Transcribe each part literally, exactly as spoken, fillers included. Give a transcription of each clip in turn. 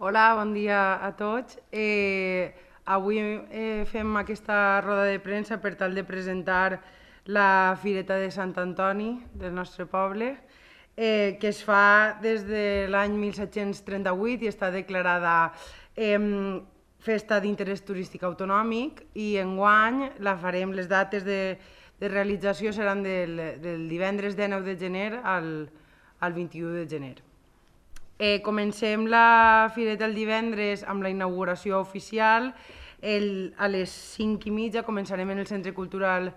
Hola, bon dia a tots. Eh, avui eh, fem aquesta roda de premsa per tal de presentar la Fireta de Sant Antoni del nostre poble, eh, que es fa des de l'any mil set-cents trenta-vuit i està declarada eh, festa d'interès turístic autonòmic, i enguany la farem, les dates de, de realització seran del, del divendres dinou de gener al, al vint-i-u de gener. Eh, comencem la fireta el divendres amb la inauguració oficial. El, a les cinc i mitja començarem en el Centre Cultural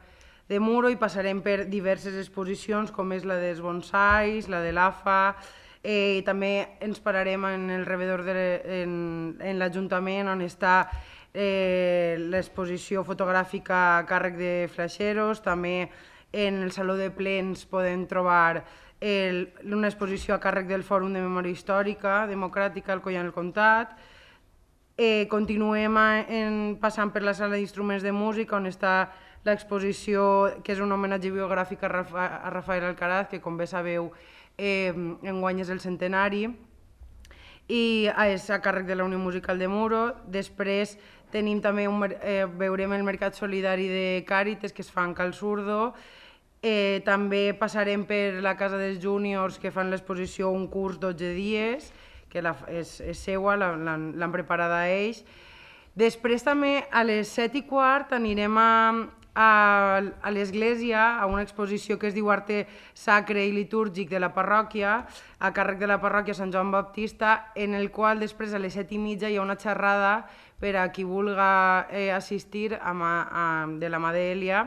de Muro i passarem per diverses exposicions com és la dels bonsais, la de l'A F A, eh, i també ens pararem en el rebedor de, en, en l'Ajuntament on està eh, l'exposició fotogràfica a càrrec de flaixeros. També en el Saló de Plens podem trobar El, una exposició a càrrec del Fòrum de Memòria Històrica Democràtica al Collant el Comtat. Eh, continuem en, passant per la sala d'instruments de música on està l'exposició que és un homenatge biogràfic a, Rafa, a Rafael Alcaraz, que com bé sabeu eh, enguany és el centenari, i és a càrrec de la Unió Musical de Muro. Després tenim també un, eh, veurem el Mercat Solidari de Càritas que es fa en Cal Surdo. Eh, també passarem per la Casa dels Júniors, que fan l'exposició Un curs dotze dies, que la, és, és seua, l'han preparada a ells. Després també a les set i quart anirem a, a, a l'església, a una exposició que es diu Arte Sacre i Litúrgic de la parròquia, a càrrec de la parròquia Sant Joan Baptista, en el qual després a les set i mitja hi ha una xerrada per a qui vulga eh, assistir a, a, de la mà d'Èlia.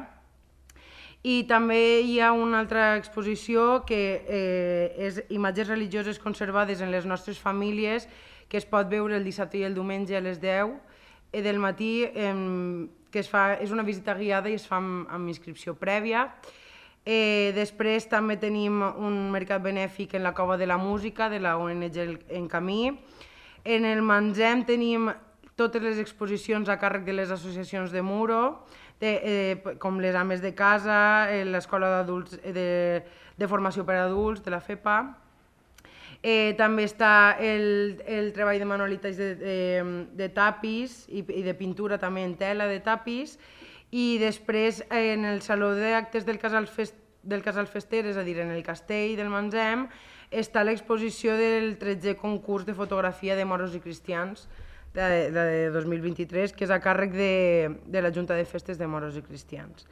I també hi ha una altra exposició que eh, és imatges religioses conservades en les nostres famílies, que es pot veure el dissabte i el diumenge a les deu del matí, eh, que es fa, és una visita guiada i es fa amb, amb inscripció prèvia. Eh, després també tenim un mercat benèfic en la Cova de la Música de la O N G En Camí. En el Mangem tenim totes les exposicions a càrrec de les associacions de Muro, de, eh, com les Ames de Casa, eh, l'Escola d'Adults de, de Formació per a Adults, de la FEPA. Eh, també està el, el treball de manualitats de, de, de tapis i, i de pintura també en tela de tapis. I després eh, en el Saló d'Actes del Casal, Fest, del Casal Fester, és a dir, en el Castell del Mangem, està l'exposició del tretzè concurs de fotografia de moros i cristians, de, de dos mil vint-i-tres, que és a càrrec de, de la Junta de Festes de Moros i Cristians.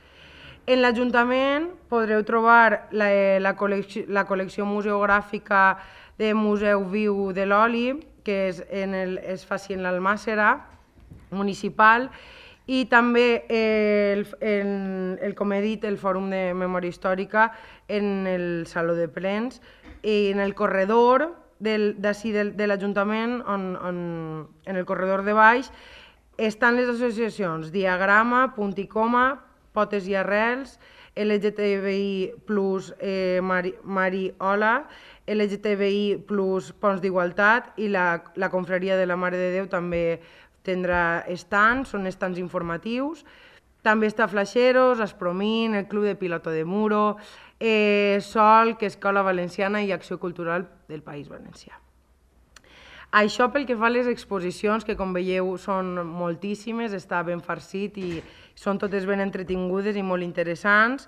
En l'Ajuntament podreu trobar la, la, col·lecció, la col·lecció museogràfica de Museu Viu de l'Oli, que és en el, es faci en l'Almàssera municipal, i també el, el, el, com he dit, el Fòrum de Memòria Històrica en el Saló de Plens, i en el corredor d'ací de, de l'Ajuntament, on, on, en el corredor de baix, estan les associacions Diagrama, Punt i Coma, Potes i Arrels, L G T B I plus eh, Mari, Mari Hola, L G T B I plus Ponts d'Igualtat, i la, la Confraria de la Mare de Déu també tindrà estants, són estants informatius. També està Flaixeros, Aspromín, el Club de Piloto de Muro, eh, Sol, que és Escola Valenciana i Acció Cultural del País Valencià. Això pel que fa a les exposicions, que com veieu són moltíssimes, està ben farcit i són totes ben entretingudes i molt interessants.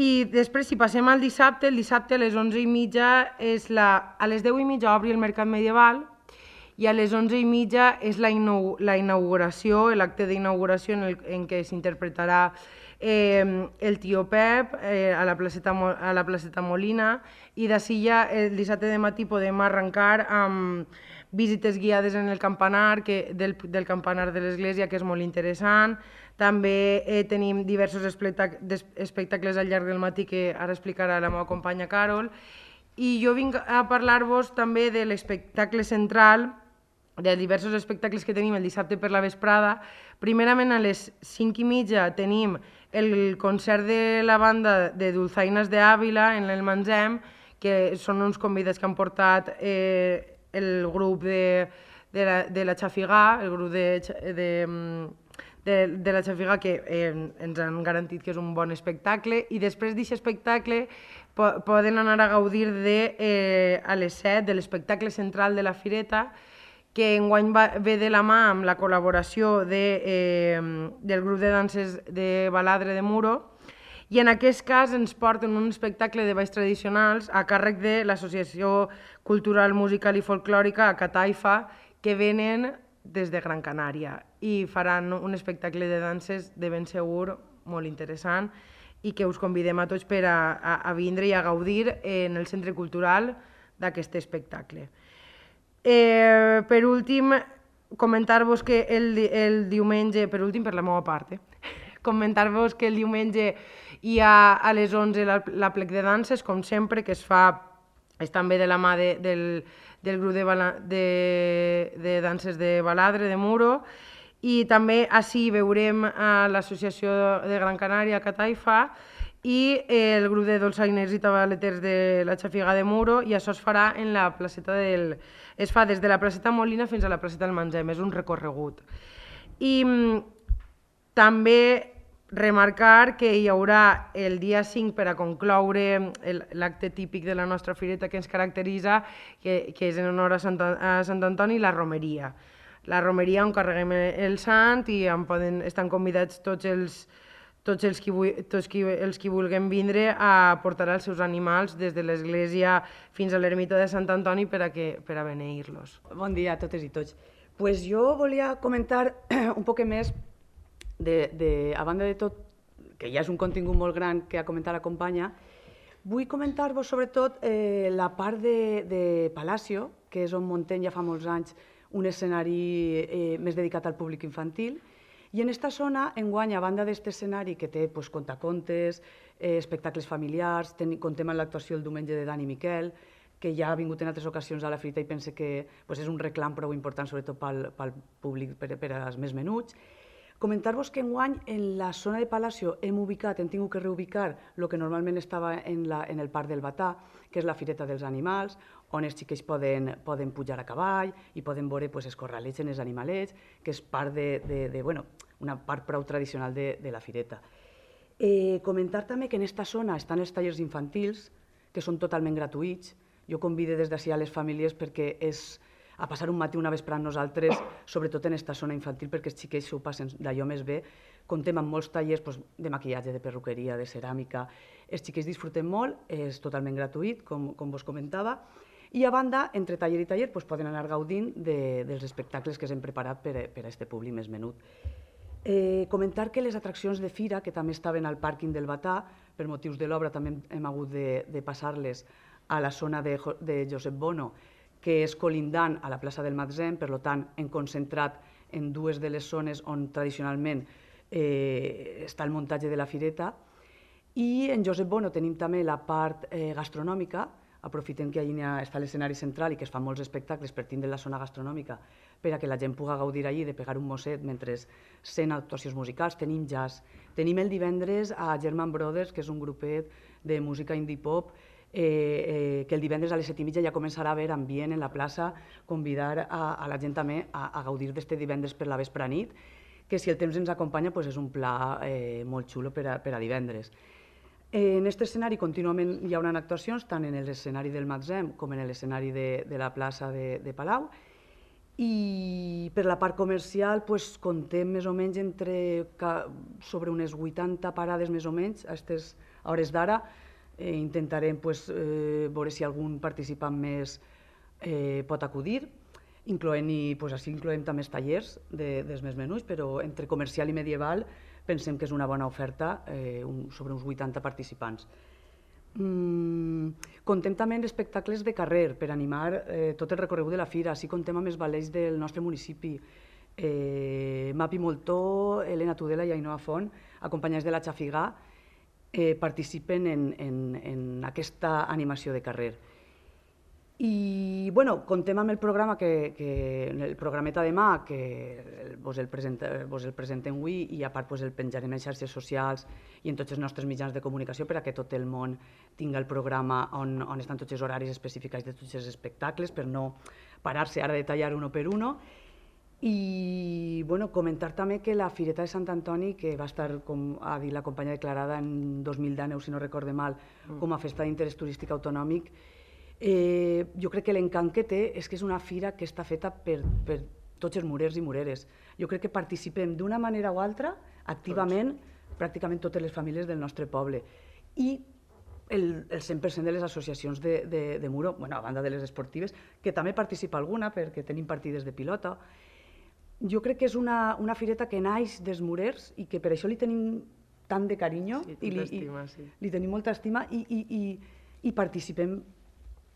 I després, si passem al dissabte, el dissabte a les onze i mitja, és la, a les deu i mitja obri el Mercat Medieval, i a les onze i mitja és la, inau la inauguració, l'acte d'inauguració en, el, en què s'interpretarà eh, el Tio Pep eh, a, la placeta, a la placeta Molina, i d'ací ja el dissabte de matí podem arrencar amb visites guiades en el campanar, que, del, del campanar de l'església, que és molt interessant. També eh, tenim diversos espectacles al llarg del matí que ara explicarà la meva companya Carol. I jo vinc a parlar-vos també de l'espectacle central, de diversos espectacles que tenim el dissabte per la vesprada. Primerament, a les cinc i mitja tenim el concert de la banda de Dulzainas de Ávila en el Mangem, que són uns convidats que han portat eh, el grup de, de, la, de la Xafigà, el grup de, de, de, de la Xafigà, que eh, ens han garantit que és un bon espectacle. I després d'aquest espectacle po poden anar a gaudir de, eh, a les set de l'espectacle central de la fireta, que enguany ve de la mà amb la col·laboració de, eh, del grup de danses de Baladre de Muro, i en aquest cas ens porten un espectacle de balls tradicionals a càrrec de l'Associació Cultural, Musical i Folclòrica a Cataifa, que venen des de Gran Canària i faran un espectacle de danses de ben segur molt interessant i que us convidem a tots per a, a, a vindre i a gaudir en el Centre Cultural d'aquest espectacle. Eh, per últim, comentar-vos que el, el diumenge, per últim per la meva part, eh? comentar-vos que el diumenge hi ha a les onze la, la plec de danses, com sempre, que es fa, és també de la mà de, del, del grup de, de, de danses de Baladre, de Muro, i també així veurem a l'Associació de Gran Canària, a Cataifa, i el grup de dolçainers i tabaleters de la Xafiga de Muro, i això es farà en la placeta del... es fa des de la placeta Molina fins a la placeta del Mangem, és un recorregut. I també remarcar que hi haurà el dia cinc per a concloure l'acte típic de la nostra fireta que ens caracteritza, que, que és en honor a Sant, a Sant Antoni, la romeria. La romeria on carreguem el sant i en poden, estan convidats tots els, tots els qui, tots qui, els qui vulguem vindre a portar els seus animals des de l'església fins a l'ermita de Sant Antoni per a, que, per a beneir-los. Bon dia a totes i tots. Pues jo volia comentar un poc més De, de, a banda de tot, que ja és un contingut molt gran que ha comentat la companya, vull comentar-vos sobretot eh, la part de, de Palacio, que és on muntem ja fa molts anys un escenari eh, més dedicat al públic infantil, i en aquesta zona, enguany, a banda d'aquest escenari que té pues, contacontes, eh, espectacles familiars, ten, contem amb l'actuació el diumenge de Dani Miquel, que ja ha vingut en altres ocasions a la Fireta i pense que pues, és un reclam prou important, sobretot pel, pel públic, per, per als més menuts. Comentar-vos que enguany en la zona de Palacio hem ubicat, hem tingut que reubicar el que normalment estava en, la, en el Parc del Batà, que és la Fireta dels Animals, on els xiquets poden, poden pujar a cavall i poden veure pues, els corralets en els animalets, que és part de, de, de, bueno, una part prou tradicional de, de la Fireta. Eh, comentar també que en aquesta zona estan els tallers infantils, que són totalment gratuïts. Jo convido des d'ací a les famílies perquè és a passar un matí una vesprada amb nosaltres, sobretot en aquesta zona infantil, perquè els xiquets s'ho passen d'allò més bé. Contem amb molts tallers pues, de maquillatge, de perruqueria, de ceràmica. Els xiquets disfruten molt, és totalment gratuït, com, com vos comentava. I a banda, entre taller i taller, pues, poden anar gaudint de, dels espectacles que s'hem preparat per a aquest públic més menut. Eh, comentar que les atraccions de fira, que també estaven al pàrquing del Batà, per motius de l'obra també hem hagut de, de passar-les a la zona de, de Josep Bono, que és colindant a la plaça del Matzem, per tant, hem concentrat en dues de les zones on tradicionalment eh, està el muntatge de la fireta. I en Josep Bono tenim també la part eh, gastronòmica, aprofitem que allà està l'escenari central i que es fan molts espectacles per tindre la zona gastronòmica per a que la gent pugui gaudir allí de pegar un mosset mentre sent actuacions musicals. Tenim jazz. Tenim el divendres a German Brothers, que és un grupet de música indie pop, Eh, eh, que el divendres a les set i mitja ja començarà a haver ambient en la plaça, convidar a, a la gent també a, a gaudir d'este divendres per la vespre nit, que si el temps ens acompanya pues és un pla eh, molt xulo per a, per a divendres. Eh, en aquest escenari contínuament hi haurà actuacions, tant en l'escenari del Matzem com en l'escenari de, de la plaça de, de Palau, i per la part comercial pues, contem més o menys entre, sobre unes vuitanta parades més o menys a aquestes hores d'ara. Eh, intentarem pues, eh, veure si algun participant més eh, pot acudir, incloent-hi, pues, així incloem també els tallers de, dels més menuts, però entre comercial i medieval pensem que és una bona oferta, eh, un, sobre uns vuitanta participants. Mm, contem també en espectacles de carrer per animar eh, tot el recorregut de la fira, així contem amb els ballets del nostre municipi, eh, Mapi Moltó, Helena Tudela i Ainhoa Font, acompanyats de la Xafiga, Eh, participen en, en, en aquesta animació de carrer. I bueno, contem amb el programa, que, que, el programeta de mà, que vos el, presenta, vos el presentem avui i a part pues, el penjarem en xarxes socials i en tots els nostres mitjans de comunicació per a que tot el món tinga el programa on, on estan tots els horaris especificats de tots els espectacles per no parar-se ara a detallar uno per uno. I bueno, comentar també que la Fireta de Sant Antoni, que va estar, com ha dit la companya declarada en dos mil deu, si no recorde mal, com a festa d'interès turístic autonòmic, Eh, jo crec que l'encant que té és que és una fira que està feta per, per tots els murers i mureres. Jo crec que participem d'una manera o altra, activament, tots. Pràcticament totes les famílies del nostre poble. I el, el cent per cent de les associacions de, de, de muro, bueno, a banda de les esportives, que també participa alguna perquè tenim partides de pilota. Jo crec que és una, una fireta que naix dels murers i que per això li tenim tant de carinyo, sí, i li, estima, sí. i, li tenim molta estima i, i, i, i participem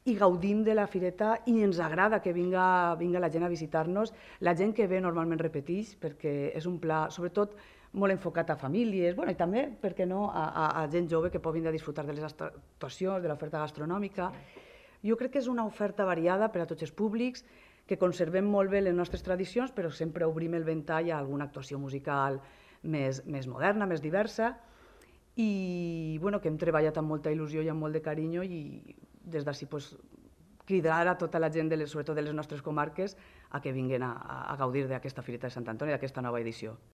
i gaudim de la fireta i ens agrada que vinga, vinga la gent a visitar-nos. La gent que ve normalment repeteix perquè és un pla, sobretot, molt enfocat a famílies, bueno, i també, per què no, a, a, a gent jove que pot vindre a disfrutar de les actuacions, de l'oferta gastronòmica. Jo crec que és una oferta variada per a tots els públics, que conservem molt bé les nostres tradicions, però sempre obrim el ventall a alguna actuació musical més, més moderna, més diversa, i bueno, que hem treballat amb molta il·lusió i amb molt de carinyo, i des d'ací pues, cridar a tota la gent, de les, sobretot de les nostres comarques, a que vinguin a, a gaudir d'aquesta Fireta de Sant Antoni, d'aquesta nova edició.